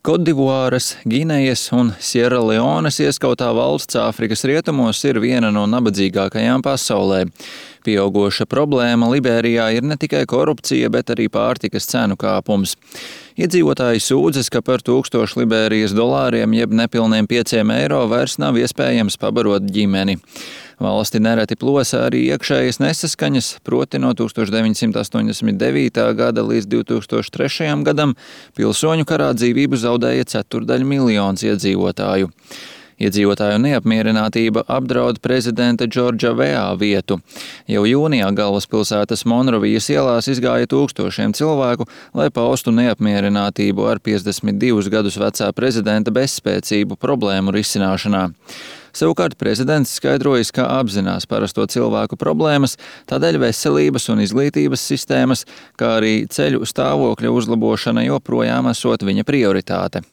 Kodivuāras, Ginejas un Sieraleones ieskautā valsts Āfrikas rietumos ir viena no nabadzīgākajām pasaulē. Pieaugoša problēma Liberijā ir ne tikai korupcija, bet arī pārtikas cenu kāpums. Iedzīvotāji sūdzas, ka par 1000 Liberijas dolāriem jeb nepilniem 5 eiro vairs nav iespējams pabarot ģimeni. Valsti nereti plosa arī iekšējas nesaskaņas, proti no 1989. gada līdz 2003. gadam pilsoņu karā dzīvību zaudēja 450 000 iedzīvotāju. Iedzīvotāju neapmierinātība apdraud prezidenta Džordža Weah vietu. Jau jūnijā galvaspilsētas Monrovijas ielās izgāja tūkstošiem cilvēku, lai paustu neapmierinātību ar 52 gadus vecā prezidenta bezspēcību problēmu risināšanā. Savukārt prezidents skaidrojas, ka apzinās parasto cilvēku problēmas, tādēļ veselības un izglītības sistēmas, kā arī ceļu stāvokļa uzlabošana joprojām esot viņa prioritāte.